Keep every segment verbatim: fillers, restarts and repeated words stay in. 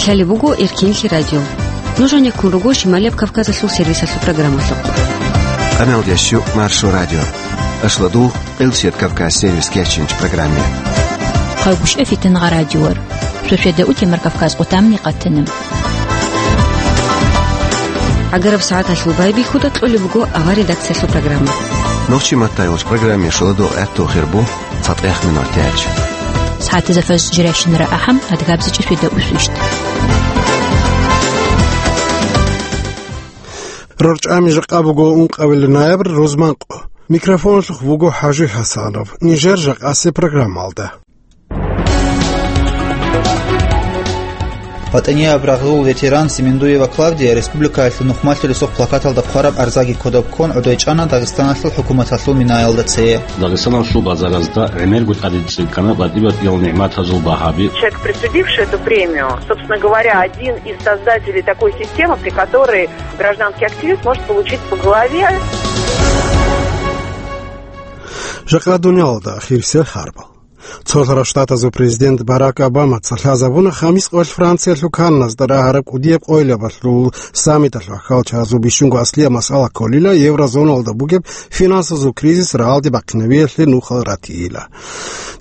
Лъалеб буго Эркинлъи радио. Нуж гьанеккун руго Шималияб Кавказалъул сервисалъул программалъухъ. Къамел ящу Маршо радио. Ашладул Къилсият Кавказ сервис кечинч программе. Хъалгушев Фитнагъа радиор. Шошеда утемар Кавказ къутамни къатана. Агараб сагӀаталъул байбихьуда кьолеб буго ава редакциялъул программа. Нохчи маттайвач программе шуладул гӀертухир бу. ЦатӀех минутач. СагӀатазда фаз жирайщинара ахӀам, адгабзичӀи шведа усвищт. РорчӀами жакъа буго ункъабилеб ноябрь, рузман къо. Микрофоналъухъ буго ХӀажи ХӀасанов. Нижер жакъасеб программалда. ВатӀанияб рагъул ветеран Семендуева Клавдия республикаялъул нухмалъулесухъ плакаталда хъвараб арзаги кодоб ккун гӀодой чӀана Дагъистаналъул хӀукуматалъул минаялда цее. Дагъистаналъул базаразда гӀемерго тӀаде цӀикӀкӀана батӀи-батӀиял нигӀматазул багьаби. Человек, присудивший эту премию, собственно говоря, один из создателей такой системы, при которой гражданский активист может получить по голове. Жакъа дуниялалда ахирисел харбал. Цолъарав Штатазул президент Барак Обамаца лъазабуна хамис къоялъ Франциялъул Канназда рагьараб кӀудияб къоялъул саммиталъул ахӀвалчагӀазул бищунго аслияб масъала кколила еврозоналда бугеб финансазул кризис рагӀалде бахъинавиялъе нухал ратийила.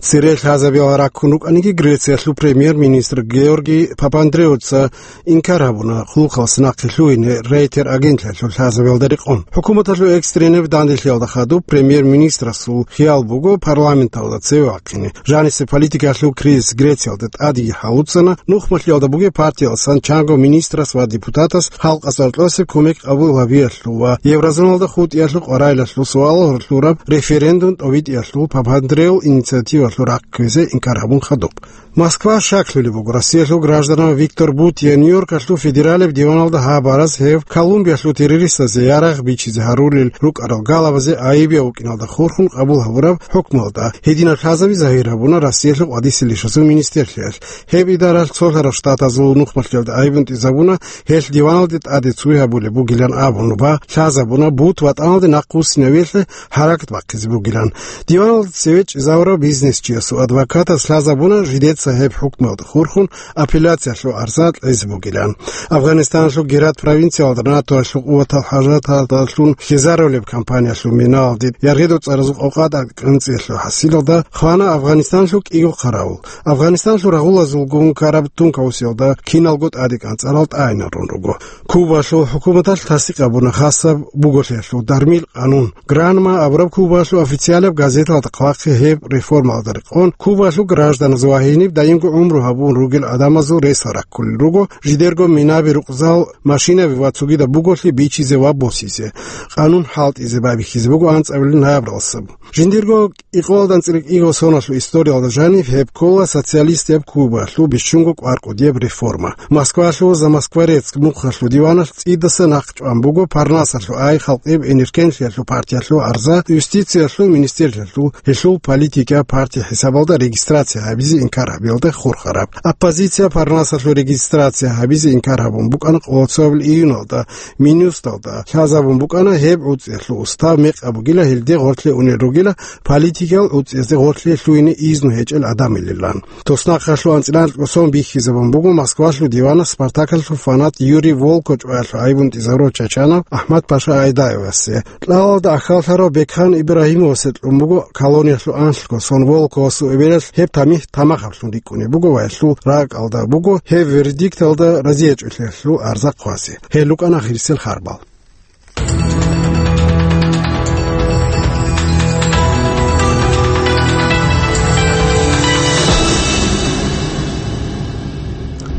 Цере лъазабиялда раккун рукӀаниги Грециялъул премьер-министр Георгий Папандреуца инкар гьабуна хъулухъалъ нахъе лъугьине Рейтер агентлъиялъул лъазабиялда рекъон. ХӀукуматалъул экстренаб данделъиялда хадуб премьер-министрасул хиял буго парламенталда цеве вахъине. Жанисеб политикалъул кризис Грециялда тӀадеги гьалуцана, нухмалъиялда бугеб партиялдасан чанго министрас ва депутатас халкъалъ гьоркьосеб кумек къабул гьабиялъул ва еврозоналда хутӀиялъул къварилъиялъул суал гьоркьоб референдум тӀобитӀиялъул Папандреул инициативалъул рахъ кквезе инкар гьабун хадуб. Москва щаклъулеб буго Россиялъул гражданав Виктор Бутья Нью-Йоркалъул федералияб диваналда гьабараз гьев Колумбиялъул террористазе ярагъ бичизе гьарулел рукӀарал галабазе гӀайибияв вукӀиналда хурхун къабул гьабураб хӀукмуялда гьединаб лъазаби загьир гьабуна Россиялъул къватӀисел ишазул министрлъиялъ. Гьеб идаралъ цолъарав штатазул нухмалъиялда гӀайиб унтӀизабуна, гьелъ диваналде тӀаде цуй гьабулеб бугилан абун ва лъазабуна бут ватӀаналде нахъвуссинавиялъе гьаракат бахъизе бугилан. Диваналда цеве чӀезавурав бизнесчиясул адвокатас лъазабуна жидеца гьеб хӀукмуялда хурхун апелляциялъул арза кьезе бугилан. Афганистаналъул Герат провинциялда НАТОялъул къуватал хӀажаталдалъун хизарулеб кампаниялъул миналде яргъидул цӀаразул къокъа тӀадекӀанцӀиялъул хӀасилалда хвана Афганистаналъул кӀиго хъаравул. Афганистаналъул рагъулазулгун ккараб тункаусиялда киналго тӀадекӀанцӀарал тӀагӀинарун руго. Кубалъул хӀукуматалъ тасдикъ гьабуна хасаб буголъиялъул дармил къанун. Гранма абураб Кубалъул официалаб газеталда хъвахъе гьеб реформалда рекъон, Кубалъул гражданаз ва гьениб даимго гӀумру гьабун ругел гӀадамазул ресал раккулел руго, жидерго минаби, рукъзал, машинаби ва цогидаб буголъи бичизе ва босизе. Къанун хӀалтӀизе байбихьизе буго анцӀабилеб ноябралдаса. Жиндирго кӀикъоялда анцӀила кӀиго соналъул историялда жаниб гьеб ккола социалистияб Кубалъул бищунго кӀвар-кӀудияб реформа. Москвалъул «За Москворецк» нухалъул диваналъ цӀидасан нахъ чӀван буго Парнасалъул ай халкъияб энергетикалъул партиялъул арза, юстициялъул министрлъиялъул гьелъул политикияб парти хӀисабалда регистрация гьабизе инкар гьабиялда хурхараб. Оппозиция Парнасалъул регистрация гьабизе инкар гьабун букӀана къоло цояб июналда, Минюсталда лъазабун букӀана гьеб гӀуцӀиялъул устав мекъаб бугила, гьелде гъорлъе унел ругила, политикиял гӀуцӀиязде гъорлъе лъугьине изну гьечӀел гӀадамилилан. Туснахъалъул анцӀила анкьго сон бихьизабун буго Москвалъул диванас Спартаклъул фанат Юрий Волко чӀваялъул гӀайиб унтӀизарурав Чачанов АхӀмад-паша Айдаевасе. Кьалалда ахьаллъарав Бекхан Ибрагьимовасе кьун буго колониялъул анлъго сон. Волковасул эбелалъ гьеб тамихӀ тамахаблъун рикӀкӀунеб буго ва гьелъул ракӀалда буго гьеб вердикталда разиячӀолъиялъул арза хъвазе. Гьел рукӀана ахирисел харбал.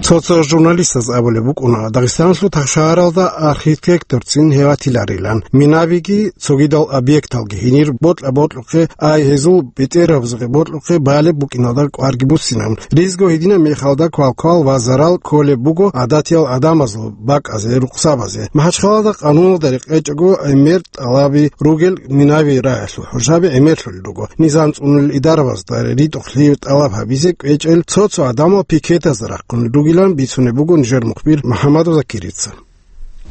Цо-цо журналистаз абулеб букӀуна, Дагъистаналъул тахшагьаралда архитекторцин гьев ватиларилан. Минабиги цогидал объекталги гьенир бокьа-бокьухъе, ай гьезул бетӀергьабазухъе бокьухъе балеб букӀиналда кӀварги буссинабун. Ризго гьединаб мехалда квалквал ва зарал кколеб буго гӀадатиял гӀадамазул бакӀазе, рукъсабазе. МахӀачхъалада къануналда рекъечӀого гӀемер тӀалаби ругел минави рагӀалъул хӀужаби гӀемерлъулел руго. Низам цӀунулел идарабазда ритӀухълъи тӀалаб гьабизе кӀвечӀел цо-цо гӀадамал пикетазда рахъун ругилан бицунеб буго нижер мухбир МухӀамадов Закирица.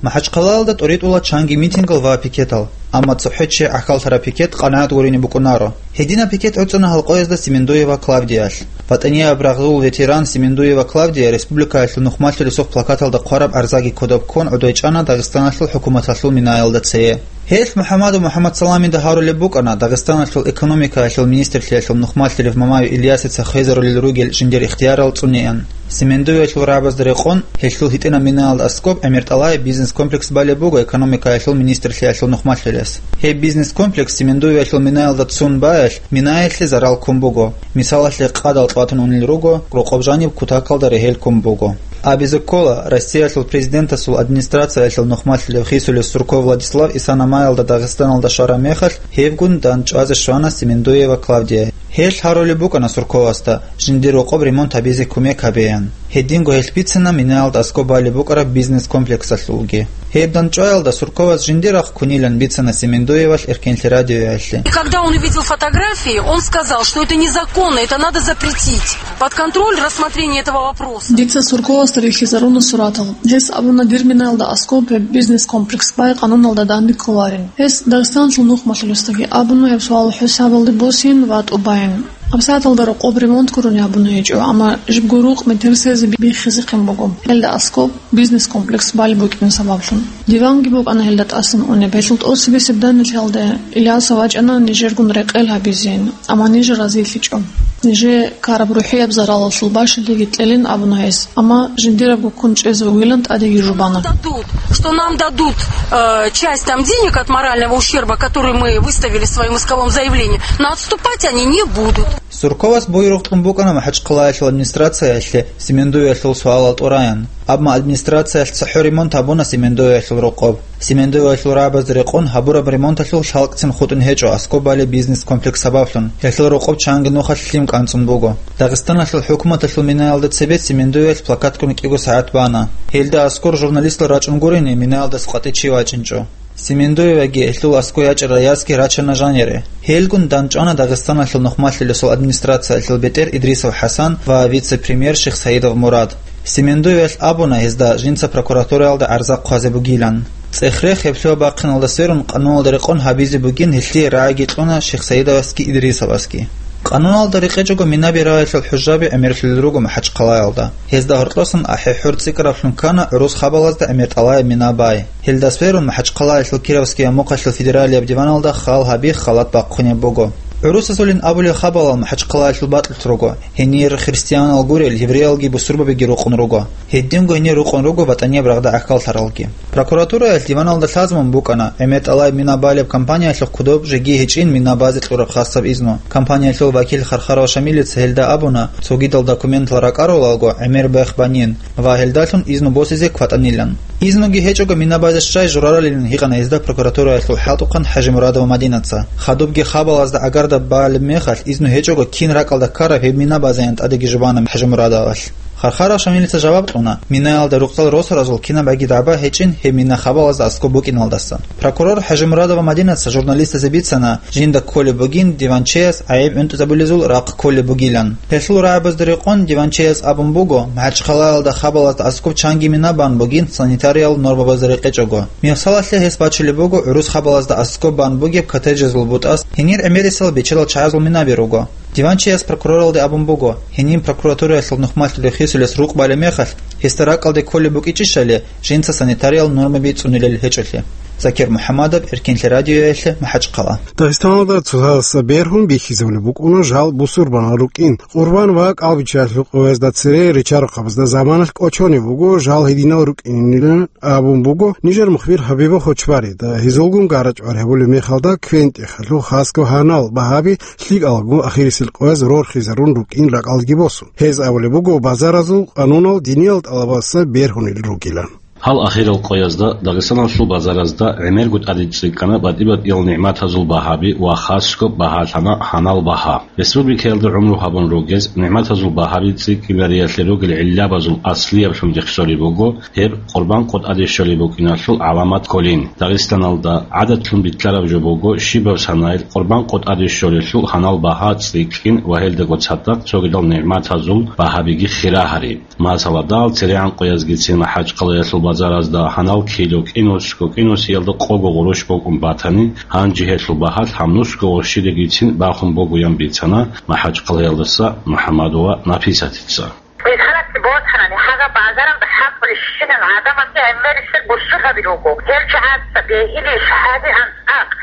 МахӀачхъалаялда тӀоритӀула чанги митингал ва пикетал, амма цохӀо чи гӀахьаллъараб пикет къанагӀат гурине букӀунаро. Гьединаб пикет гӀуцӀуна гьалкъоязда Семендуева Клавдиялъ. ВатӀанияб рагъул ветеран Семендуева Клавдия республикаялъул нухмалъулесухъ плакаталда хъвараб арзаги кодоб ккун гӀодой чӀана Дагъистаналъул хӀукуматалъул минаялда цее. Гьелъ МухӀаммадов МухӀаммадсаламида гьарулеб букӀана Дагъистаналъул экономикаялъул министрлъиялъул нухмалъулев Мамаев Ильясица хвезарулел ругел жиндир ихтиярал цӀунеян. Семендуевалъул рагӀабазда рекъон, гьелъул гьитӀинаб минаялда аскӀоб ГӀемертӀалае бизнес-комплекс балеб буго экономикаялъул министрлъиялъул нухмалъулес. Гьеб бизнес-комплекс Семендуевалъул минаялда цун баялъ, минаялъе зарал ккун буго. Мисалалъе, къадал тӀватун унел руго, рокъоб жаниб кутакалда регьел ккун буго. Абизе ккола, Россиялъул президентасул администрациялъул нухмалъулев Хисулев Сурков Владислав Исана-маялда Дагъистаналда щвараб мехалъ, гьебгун дандчӀвазе щвана Семендуева Клавдия. Гьелъ гьарулеб букӀана Сурковасда, жиндир рокъоб ремонт гьабизе кумек гьабеян. Гьединго гьелъ бицина минаялда аскӀоб балеб букӀараб бизнес-комплексалъулги. Гьеб дандчӀваялда Сурковас жиндир рахъ ккунилан бицана Семендуевалъ Эркенлъи радиоялъе. И когда он увидел фотографии, он сказал, что это незаконно, это надо запретить. Под контроль рассмотрение этого вопроса. Дица Сурковасда рихьизаруна суратал. Гьес абуна, дир минаялда аскӀоб гьеб бизнес-комплекс бай къануналда данде кколарин. Гьес Дагъистаналъул нухмалъулесдаги абуна гьеб суал хӀисабалде босин ва тӀубайин. ГьабсагӀаталда рокъоб ремонт гурони абуна гьечӀо, амма жибго рукъ метерсезе биххизехъин буго. Гьелда аскӀоб бизнес-комплекс балеб букӀин сабаблъун. Диванги букӀана гьелда тӀасан унеб. Гьелъул тӀоцебесеб данделъиялда Ильясов вачӀана нижергун рекъел гьабизе, амма ниж разилъичӀо. Нижее ккараб рухӀияб заралалъул бащадиги кьелин абуна гьес, амма жиндирабго ккун чӀезе вугилан тӀадеги жубана. Дадут, что нам дадут, э, часть там денег от морального ущерба, который мы выставили в своём исковом заявлении, но отступать они не будут. Сурковас буйрухъ кьун букӀана МахӀачхъалаялъул администрациялъе Семендуевалъул суалал тӀураян. Амма администрациялъ цохӀо ремонт гьабуна Семендуевалъул рокъоб. Семендуевалъул рагӀабазда рекъон гьабураб ремонталъул лъалкӀцин хутӀун гьечӀо аскӀоб балеб бизнес-комплекс сабаблъун, гьелъул рокъоб чанги нухалъ лъим кӀанцӀун буго. Дагъистаналъул хӀукуматалъул минаялда цебе Семендуевалъ плакатккун кӀиго сагӀат бана. Гьелда аскӀор журналистал рачӀун гурони минаялдаса къватӀи чи вачӀинчӀо. Семендуеваги гьелъул аскӀой ячӀарал ясги рачана жанире. Гьелгун дандчӀвана Дагъистаналъул нухмалъулесул администрациялъул бетӀер Идрисов ХӀасан ва вице-премьер Шихсаидов Мурад. Семендуевалъ абуна гьезда жинца прокуратураялда гӀарза хъвазе бугилан. ЦӀех-рех гьеб лъугьа-бахъиналда сверун, къануналда рекъон гьабизе бугин гьелъие рагӀиги кьуна Шихсаидовасги Идрисовасги. Къануналда рекъечӀого мина берагьилъул хӀужаби гӀемерлъулел руго МахӀачхъалаялда. Гьезда гьоркьосан ахӀи-хӀур цӀикӀкӀараблъун ккана гӀурус хабалазда гӀемертӀалаяб мина бай. Гьелда сверун МахӀачхъалаялъул Кировскияб мухъалъул федералияб диваналда хал гьаби халат бахъунеб буго. ГӀурусазулин абулел хабалал МахӀачхъалаялъул бакьулъ руго, гьенир христианал гурел евреялги бусурбабиги рукъун руго. Гьединго гьенир рукъун руго ВатӀанияб рагъда гӀахьаллъаралги. Прокуратураялъ диваналда лъазабун букӀана, гӀемертӀалай мина балеб компаниялъухъ кодоб жеги гьечӀин мина базе кьураб хасаб изну. Компаниялъул вакил Хархаров Шамилица гьелда абуна, цогидал документал ракӀарулалго гӀемер бех банин ва гьелдалъун изну босизе кватӀанилан. Изнуги гьечӀого мина базе щай жураралилан гьикъана гьезда прокуратураялъул хӀалтӀухъан ХӀажимурадова Мадинаца. Хадубги хабалазда гӀагарда балеб мехалъ, изну гьечӀого кин ракӀалда ккараб гьеб мина базеян тӀадеги жубана ХӀажимурадовалъ. Хархаров Шамилица жаваб кьуна, минаялда рукъзал росаразул кинаб аги дагӀба гьечӀин гьеб мина хабалазда аскӀоб букӀиналдаса. Прокурор ХӀажимурадова Мадинаца журналистазе бицана, жинда кколеб бугин диванчеяс гӀайиб гӀунтӀизабулезул рахъ кколеб бугилан. Гьелъул рагӀабазда рекъон диванчеяс абун буго, МахӀачхъалаялда хабалазда аскӀоб чанги мина бан бугин санитариял нормабазда рекъечӀого. Мисалалъе гьес бачулеб буго гӀурус хабалазда аскӀоб бан бугеб коттеджазул бутӀас гьенир гӀемерисел бечедал чагӀазул минаби руго. Диванчияс прокуроралде абун буго, гьениб прокуратураялъул нухмалъулев Хисулес рукъ балеб мехалъ, гьесда ракӀалде кколеб букӀичӀищали, жинца санитариял нормаби цӀунилел гьечӀолъи. Закир МухӀаммадов, Эркенлъи радиоялъе, МахӀачхъала. Дагъистаналда цоцазда бергьун бихьизабулеб букӀуна жал бусурбанал рукӀин. Къурбан ва кӀалбиччаялъул къоязда цере ричарухъабазда заманалъ кӀочонеб буго жал гьединал рукӀинилан абун буго нижер мухбир Хабиба Хочбарида. Гьезулгун гара-чӀвар гьабулеб мехалда квен-тӀехалъул хасго гьанал багьаби лъикӀалгун ахирисел къояз рорхизарун рукӀин ракӀалдги босун. Гьез абулеб буго базаразул къанунал диниял тӀалабаздаса бергьунел ругилан. Гьал ахирал къоязда Дагъистаналъул базаразда гӀемерго тӀаде цӀикӀкӀана батӀи-батӀиял нигӀматазул багьаби ва хасго багьа лъана гьанал багьа. Республикаялда гӀумру гьабун ругез нигӀматазул багьаби цӀикӀкӀинариялъе ругел гӀиллабазул аслияблъун рехсолеб буго гьеб Къурбан къо тӀаде щолеб букӀиналъул гӀаламат кколин. Дагъистаналда гӀадатлъун битӀараб жо буго, щибаб санайил Къурбан къо тӀаде щолелъул гьанал багьа цӀикӀкӀин ва гьелдаго цадахъ цогидал нигӀматазул багьабиги хира гьари. Масала, дагьал церегӀан къоязгицин МахӀачхъалаялъул базаразда гьанал кило кӀинусго кӀинусиялда къого гъурущ букӀун батани, гьанже гьелъул багьалъ гьаб нусго гъурщидагицин бахун бугоян бицана МахӀачхъалаялдаса МухӀаммадова Написатица. Мисалалъе босанани, гьагъа базаралда хӀакъулищинал гӀадамазги гӀемерисел бусургьаби руго. Гьел чагӀаца бегьилищ гьадигӀан цӀакъ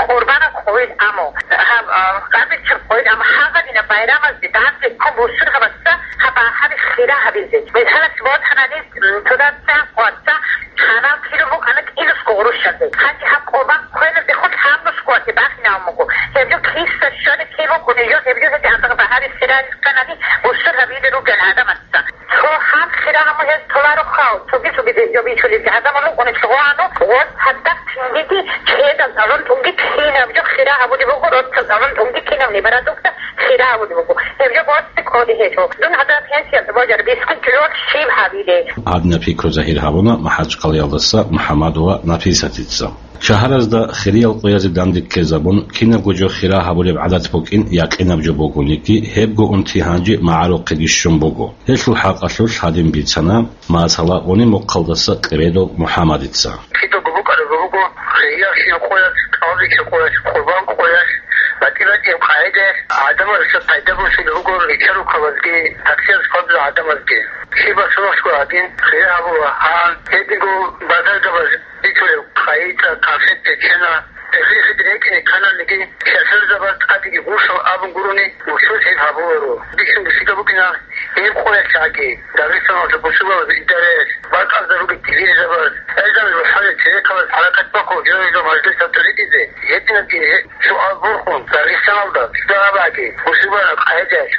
къурбанаб къойил, аммо гьаб, а, къабилчаб къойил, аммо гьагъадинаб байрамазде данде ккун бусургьабаца гьаб багьаби хира гьабизе. Мисалалъе босанани, м, цо дацан къватӀа гьанал кило букӀана кӀинусго гъурущалде. Гьанже гьаб къурбан кквелалдехун гьанусго вате бахинавун буго. Гьеб жо киса щвалеб киб букӀунеб жо, гьеб жо гьедигӀан багьаби хира рихъанани бусургьабизе ругел гӀадамаз. Цо гьан хирагьабун гьез толаро хал, цоги-цоги гьеб жо бичулеб гӀадамал рукӀунелъул гъоану, гъоз гьадаб цинги-цинги чедал гӀадамал тӀунги кинаб жо хира гьабулеб буго, росдал гӀадамал тӀунги кинаб ниб-радукда хира гьабулеб буго. Гьеб жо боцӀи кколеб гьечӀо. Дун гьадаб пенсиялда божар бискун кило щиб гьабилеб. Гьадинаб пикру загьир гьабуна МахӀачхъалаялдаса МухӀаммадова Написатица. Шагьаразда хириял къоязе данде ккезабун, кинабго жо хира гьабулеб гӀадат букӀин якъинаб жо бугониги, гьебго унти гьанже магӀарухъеги щун буго. Гьелъул хӀакъалъулъ гьадин бицана, масала, Гъуни-Мухъалдаса Къебедов МухӀаммадица. Кидаго букӀараб буго, хириялъул къоялъ, кӀалбичил къоялъ, къурбан къоялъ, батӀи-батӀияб къагӀидаялъ гӀадамаздаса пайда босулеб буго, ричарухъабазги, таксияз хъвазул гӀадамазги. Щиб босулеб гьадин, хира гьабула гьан, гьединго базаргабаз битулеб къагӀида, конфет, печена, гьелъие рекӀине ккананиги, шофёрзабаз тӀадеги гъурщал абун гурони, бусурбаби гьеб гьабуларо. Бищун бусида букӀина гьеб къоялъ гӀаги, Дагъистаналда бусурбабаз идараялъ, бакӀалда ругел дилирзабаз, гӀезабаз рухӀалил церехъабаз хӀаракат бахъун, гьев-гьев мажлисалда ритӀизе, гьединабги гьеб суал борхун, Дагъистаналда цӀар гьабаги, бусурбабазул къагӀидаялъ.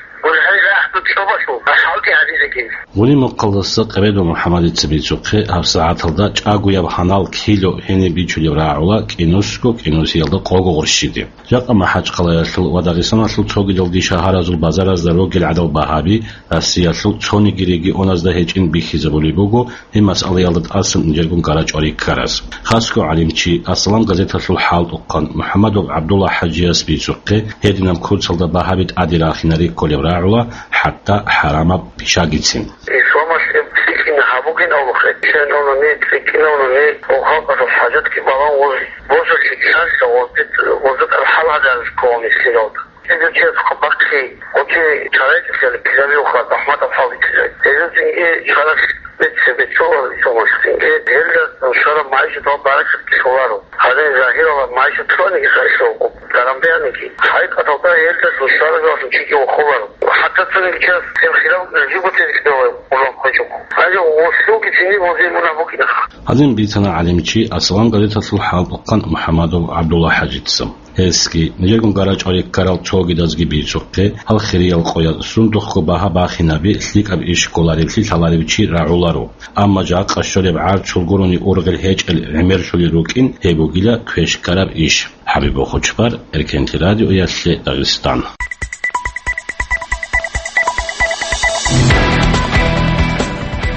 Гъуни-Мухъалдаса Къебедов МухӀаммадица бицухъе, гьабсагӀаталда чӀагояб гьанал кило гьениб бичулеб рагӀула кӀинусго кӀинусиялда къого гъурщиде. Жакъа МахӀачхъалаялъул ва Дагъистаналъул цогидалги шагьаразул базаразда ругел гӀадал багьаби Россиялъул цониги регионазда гьечӀин бихьизабулеб буго, гьеб масъалаялда тӀасан нижерго гьарачӀвари ккарас. Хасго гӀалимчи, Ассалам газеталъул хӀалтӀухъан МухӀаммадов ГӀабдулла ХӀажияс бицухъе, гьединаб курсалда багьаби тӀаде рахинари кколеб рагӀула, хӀатта хӀарамаб пишагицин. Исламалъ гьеб цӀикӀкӀине гьабугин абулухъе, чӀинавнани, цӀикӀкӀинавнани, ва халкъалъул хӀажатги балан, гъоз божулъи кканила, гъоз бит-, гъозда тӀад хӀал гьабизе ккола мискинал. Гьезул чияс хъа бахъи, гъочи чарайчӀухъе ккелабиуха, захӀматаб хӀал битӀилай. Гьезул цинги чарахъ бецце беццола исламалъ цинги. Гьелда нушараб магӀишаталда баракат кьоларо. Гьадин загьиралаб магӀишат лъугьаниги хайсавго, даран бегьаниги. ХӀакъикъаталда гьелда нушараб чиги вахуларо. ХӀатта цониги чияс гьеб хирав жибго тезикьдала гъулан хъвечӀого. Гьанже гъорлъулги цинги гъозе мунагь букӀина. Гьадин бицана гӀалимчи Ассалам газеталъул хӀалтӀухъан МухӀаммадов ГӀабдулла ХӀажица. Гьесги, нижерго гьарачӀвари ккарал цогидазги бицухъе, гьал хириял къояз сундухъго багьа бахинаби лъикӀаб иш кколареблъи лъаларев чи рагӀуларо. Амма жакъа щолеб гӀарцул гурони ургъел гьечӀел гӀемерлъулел рукӀин гьеб бугила квеш ккараб иш. ХӀабиб Бохучбар, Эркенлъи радиоялъе Дагъистан.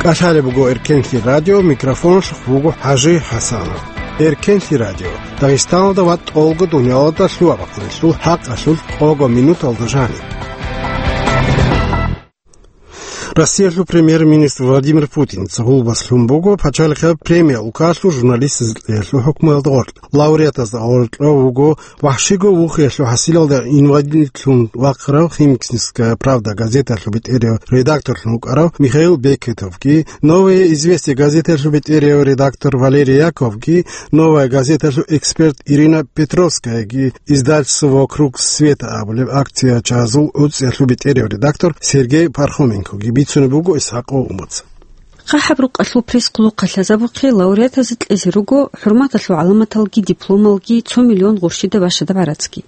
КӀалъалеб буго Эркенлъи радио, микрофоналъухъ вуго ХӀажи ХӀасанов. Эркенлъи радио, Дагъистаналда ва тӀолго дуниялалда лъугьа-бахъунелъул хӀакъалъулъ къого минуталда жаниб. Россиялъул премьер-министр Владимир Путинца гъулбас лъун буго пачалихъаб премия улкалъур журналистазе кьеялъул хӀукмуялда гъоркь. Лауреатазда гъоркьов вуго вахӀшиго вухиялъул хӀасилалда инвалидлъун вахъарав «Химкинская правда» газеталъул бетӀерав редакторлъун вукӀарав Михаил Бекетовги, «Новое известие» газеталъул бетӀерав редактор Валерий Яковги, «Новая газеталъул» эксперт Ирина Петровскаяги, издательство «Вокруг света» абулеб акциячазул гӀуцӀиялъул бетӀерав редактор Сергей Пархоменкоги бицунеб буго Исхаков Умаца. ХъахӀаб рукъалъул приз хъулухъалъазабухъе лауреатазе кьезе руго хӀурматалъул гӀаламаталги дипломалги цо миллион гъурщида бащадаб гӀарацги.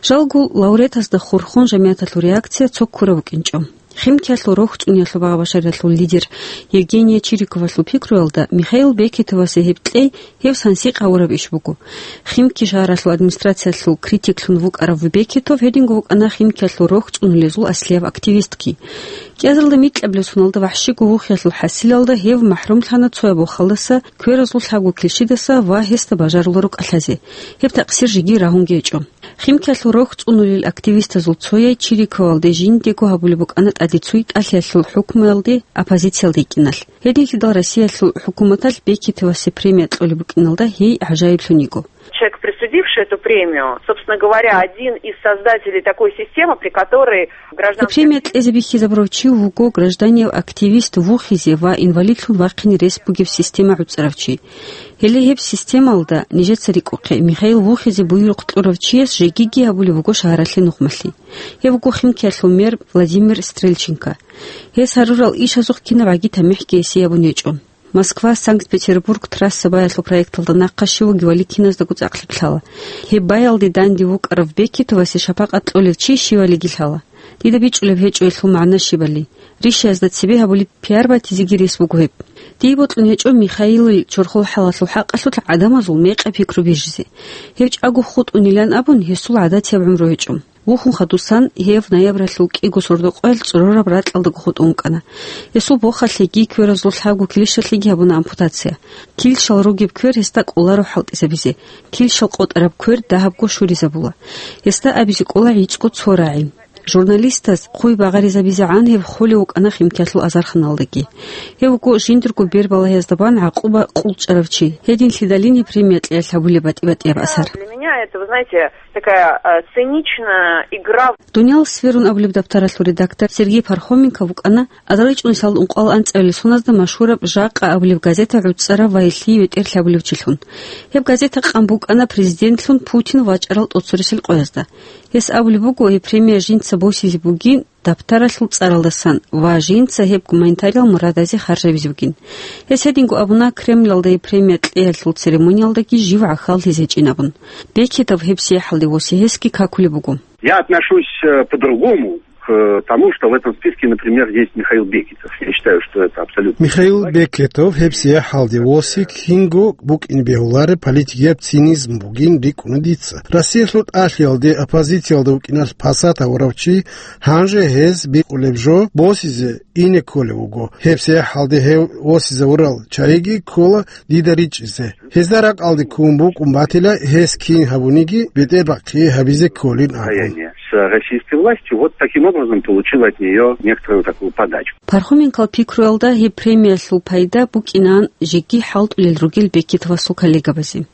Жалго, лауреатазда хурхун жамигӀаталъул реакция цо ккураб букӀинчӀо. Химкиялъул рохьцӀуниялъул багъа-башаралъул лидер Евгения Чириковалъул пикруялда, Михаил Бекетовасе гьеб кьей гьев сансикъ гьавураб иш буго. Химки шагьаралъул администрациялъул критиклъун вукӀарав Бекетов гьединго вукӀана Химкиялъул рохьцӀунулезул аслияб активистги. КӀиазалда микьабилеб соналда вахӀшиго вухиялъул хӀасилалда гьев махӀрумлъана цояб вахалдаса, кверазул лъабго килщидаса ва гьесда бажаруларо кӀалъазе. Гьеб такъсир жеги рагьунги гьечӀо. Химкиялъул рохьцӀунулел активистазул цояй Чириковалде жиндего гьабулеб букӀана Цоги кӀалъиялъул хӀукмуялде, оппозициялде йикӀиналъ. Гьединлъидал Россиялъул хӀукуматалъ Бекетовасе премия кьолеб букӀиналда гьей гӀажаиблъун йиго. Человек, присудивший эту премию, собственно говоря, один из создателей такой системы, при которой Гьеб гражданский премия кьезе бихьизабурав чи вуго гражданияв активист вухизе ва инвалидлъун вахъине рес бугеб система гӀуцӀарав чи. Гьеле гьеб системалда, нижеца рикӀухъе, Михаил вухизе буюрухъ кьурав чияс жегиги гьабулеб буго шагьаралъе нухмалъи. Гьев вуго Химкиялъул мэр Владимир Стрельченко. Гьес гьарурал ишазухъ кинаб гӀаги тамихӀги гьесие гьабун гьечӀо. Москва – Санкт-Петербург трасса баялъул проекталда нахъа щив вугевали киназдаго цӀакълъи лъала. Гьеб баялде данде вукӀарав Бекетовасе шапакъат кьолев чи щивалиги лъала. Дида бичӀчӀулеб гьечӀо гьелъул магӀна щибали. Ришаязда цебе гьабулеб пиар батизеги рес буго гьеб. Дие бокьун гьечӀо Михаилил чорхол хӀалалъул хӀакъалъулъ гӀадамазул мекъи-пикру бижизе. Гьев чӀаго хутӀунилан абун, гьесул гӀадатияб гӀумру гьечӀо. Вухун хадусан гьев ноябралъул кӀиго сордо-къоялъ цӀорораб ракьалдаго хутӀун вукӀана. Гьесул бохалъеги кверазул лъабго килищалъеги гьабуна ампутация. Килщал ругеб квер гьесда кӀоларо хӀалтӀизабизе, килщал къотӀараб квер дагьабго щуризабула. Гьесда абизе кӀола гӀицӀго цо рагӀи. Журналистаз хъуй багъаризабизегӀан гьев холев вукӀана Химкиялъул азарханалдаги. Гьев вуго жиндирго бербалагьиязда бан гӀакъуба къулчӀарав чи. Гьединлъидалин гьеб премия кьеялъ гьабулеб батӀи-батӀияб асар. Для меня это, вы знаете, такая, э, циничная игра в Дуниял сферун абулеб дабтаралъул редактор Сергей Пархоменко вукӀана азарилчӀунисалда ункъоялда анцӀабилеб соназда машгьураб «Жакъа» абулеб газета гӀуцӀарав ва гьелъие бетӀерлъи гьабулев чилъун. Гьеб газета къан букӀана президентлъун Путин вачӀарал тӀоцересел къоязда. Гьес абулеб буго, гьеб премия жинца босизе бугин дабтаралъул цӀаралдасан ва жинца гьеб гуманитариял мурадазе харжабизе бугин. Гьес гьединго абуна Кремлалда гьеб премия кьеялъул церемониялдаги жив гӀахьаллъизе гьечӀин абун. Бекетов гьебсияхӀалде восе гьесги какулеб буго. Я отношусь, э, по-другому к тому, что в этом списке, например, есть Михаил Бекетов. Я считаю, что это абсолютно Михаил Бекетов гьебсияхӀалде восе кинго букӀин бегьулареб политикияб цинизм бугин рикӀкӀуна дица. Россиялъул тӀалъиялде оппозициялда вукӀиналъ пасат гьавурав чи гьанже гьез бикъулеб жо босизе ине кколев вуго. ГьебсияхӀалде гьев восизавурал чагӀиги ккола дида ричӀчӀизе. Гьезда ракӀалде ккун букӀун батила, гьес кин гьабуниги бетӀербахъи гьабизе кколин абун. Состояние с российской властью. Вот таким образом получил от неё некоторую такую подачку. Пархоменкал пикруялда гьеб премиялъул пайда букӀинаан жеги хӀалтӀулел ругел Бекетовасул коллегабазе.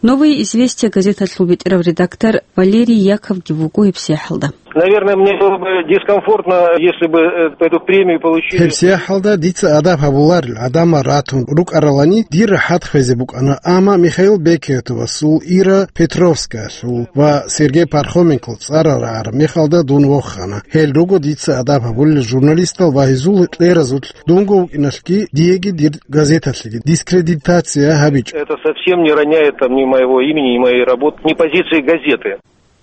«Новые известия» газеталъул бетӀерав редактор Валерий Яковги вуго гьебсияхӀалда. Наверное, мне было бы дискомфортно, если бы, э, эту премию получили. ГьебсияхӀалда дица адаб гьабуларел гӀадамал ратун рукӀаралани, дир рахӀат хвезе букӀана, амма Михаил Бекетовасул, Ира Петровскаялъул ва Сергей Пархоменкол цӀарал рагӀараб мехалда дун вохана. Гьел руго дица адаб гьабулел журналистал ва гьезул кьеразулъ дунго вукӀиналъги диеги дир газеталъеги дискредитация гьабичӀо. Это совсем не роняет там ни моего имени, ни моей работы, ни позиции газеты.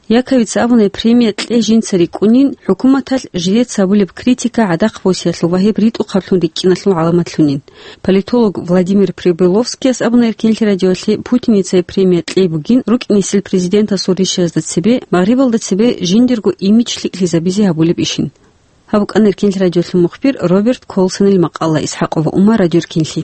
Яковица абуна, премия кьей жинца рикӀкӀунин, хӀукуматалъ жилец гьабулеб критика гӀадахъ босиялъул ва гьеб ритӀухъаблъун рикӀкӀиналъул гӀаламатлъунин. Политолог Владимир Прибыловскияс абуна Эркенлъи радиоялъе, Путиница премия кьей бугин рукӀинесел президентасул ришаязда цебе, Магърибалда цебе жиндирго имидж лъикӀлъизабизе гьабулеб ишин. Гьаб букӀана Эркенлъи радиолъул мухбир Роберт Колсонил макъала. Исхакова Ума, Радио Эркенлъи.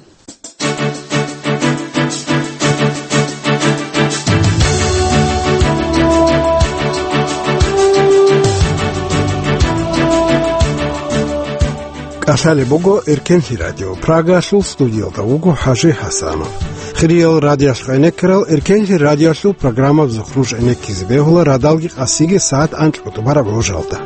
КӀалъалеб буго Эркенлъи радио. Прагалъул студиялда вуго ХӀажи ХӀасанов. Хириял радиоялъ гӀенеккарал, Эркенлъи радиоялъул программабазухъ нуж гӀенеккизе бегьула радалги къасиги сагӀат анкьго тӀубараб гӀужалда.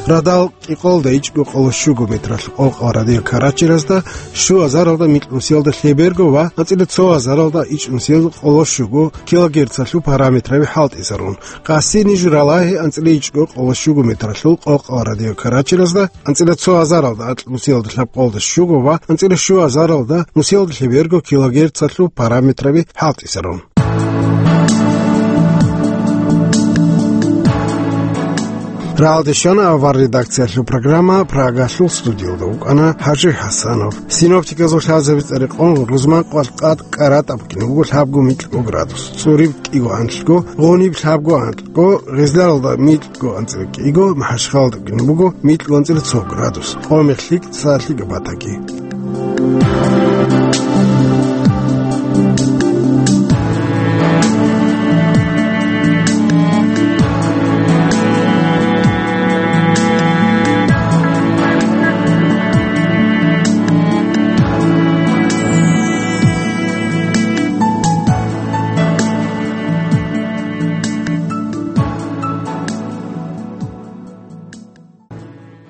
Радал кӀикъоялда ичӀго къоло щуго метралъул къокъал радиокарачиразда, щу азаралда микьнусиялда лъеберго ва анцӀила цо азаралда ичӀнусиялда къоло щуго килогерцалъул параметраби хӀалтӀизарун. Къаси ниж ралагьи анцӀила ичӀго къоло щуго метралъул къокъал радиокарачиразда, анцӀила цо азаралда акьнусиялда лъабкъолда щуго ва анцӀила щу азаралда нусиялда лъеберго килогерцалъул параметраби хӀалтӀизарун. Рагьалде щвана авар редакциялъул программа, Прагалъул студиялда вукӀана ХӀажи ХӀасанов. Синоптиказул лъазаби цӀарикъун рузман къвалъ къад кӀаратӀаб букӀине буго лъабго микьго градус, цӀуриб кӀиго анлъго, гъуниб лъабго анлъго, гъезларалда микьго анцӀила кӀиго, МахӀачхъалада букӀине буго микьго анцӀила цо градус, къо-мех лъикӀ, цо лъикӀаб батаги.